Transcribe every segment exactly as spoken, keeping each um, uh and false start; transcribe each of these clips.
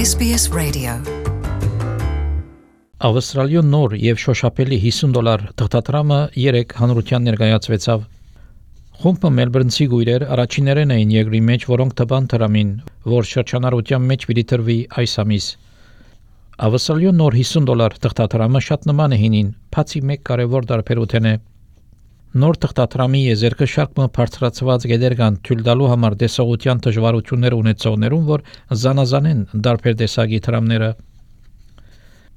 S B S Radio. Ավստրալիո նոր եւ շոշափելի հիսուն դոլար թղթադրամը երեք հանրության ներկայացվեցավ։ Խումբը մելբուրնցի գույրեր առաջիներեն էին երկրի մեջ, որոնք տվան դրամին, որ շրջանառության մեջ պիտի տրվի այս ամիս։ Ավստրալիո նոր հիսուն դոլար թղթադրամը շատ նման է հինին, բացի մեկ կարևոր տարբերություն է։ Նոր թղթադրամի եզերքը շարքը բարձրացված գեդեր կան թույլ տալու համար դեսողության դժվարություններ ունեցողներուն, որ զանազան են տարբեր տեսակի դրամները։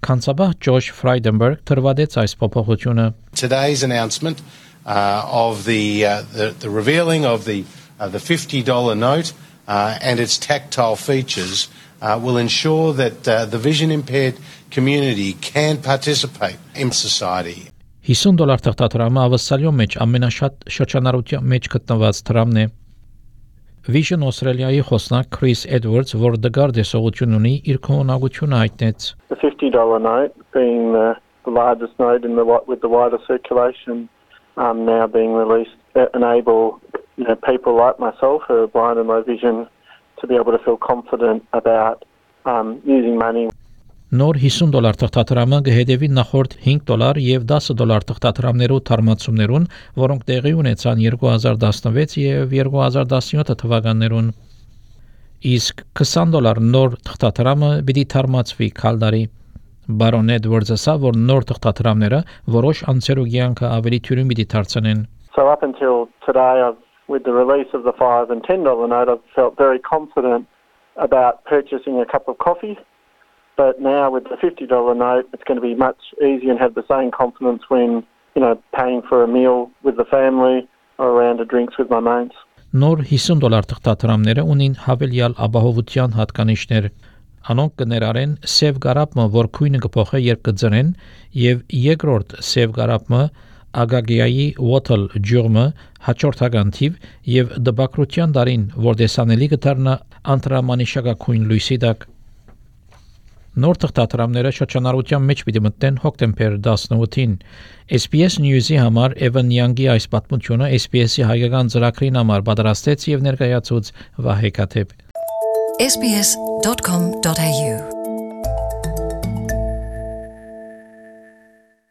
Քանսաբահ Ջոշ Ֆրայդենբերգ թրվադեց այս փոփոխությունը։ Today's announcement uh, of the, uh, the the revealing of the uh, the fifty dollar note uh, and its tactile features uh, will ensure that uh, the vision impaired community can participate in society. հիսուն դոլար թղթադրամը ավստրալիո մեջ ամենաշատ շրջանառության մեջ գտնված դրամն է։ Vision Australia-ի խոսնակ Chris Edwards, որ դգար դեսողություն ունի, իր քողնակությունը հայտնեց։ The fifty dollar note being the, the largest note in the with the wider circulation um, now being released that enable you know people like myself who are blind and low vision to be able to feel confident about um, using money. Նոր հիսուն դոլար թղթադրամը կհետևի նախորդ հինգ դոլար եւ դասը դոլար թղթադրամներու թարմացումներուն, որոնք տեղի ունեցան երկու հազար տասնվեց եւ երկու հազար տասնյոթ թվականներուն։ Իսկ քսան դոլար նոր թղթադրամը պիտի թարմացվի քալդարի։ Բարոն Էդվարդսը ասա, որ նոր թղթադրամները որոշ անձերու կյանքը ավելի թյուրին պիտի դարձնեն։ So up until today, I've, with the release of the five and ten dollar note, I've felt very confident about purchasing a cup of coffee. But now with the fifty dollar note, it's going to be much easier and have the same confidence when, you know, paying for a meal with the family or a round of drinks with my mates. Նոր հիսուն դոլար թղթադրամները ունին հավելյալ ապահովության հատկանիշներ։ Անոնք կներառեն սև գարապը, որ քույնը կփոխե երբ կձրեն, եւ երկրորդ սև գարապը ագագիայի water ջուրմը հաջորդական թիվ եւ դպակրության դարին, որ դեսանելի կդառնա անտրամանիշակակույն լույսի տակ։ Նոր թղթադրամները շրջանառության մեջ պիտի մտնեն հոկտեմբեր տասնութին։ S B S News-ի համար Evan Young-ի այս պատմությունը S B S-ի հայկական ծրագրին համար պատրաստեց եւ ներկայացուց Վահե Կաթեփ։ S B S dot com dot A U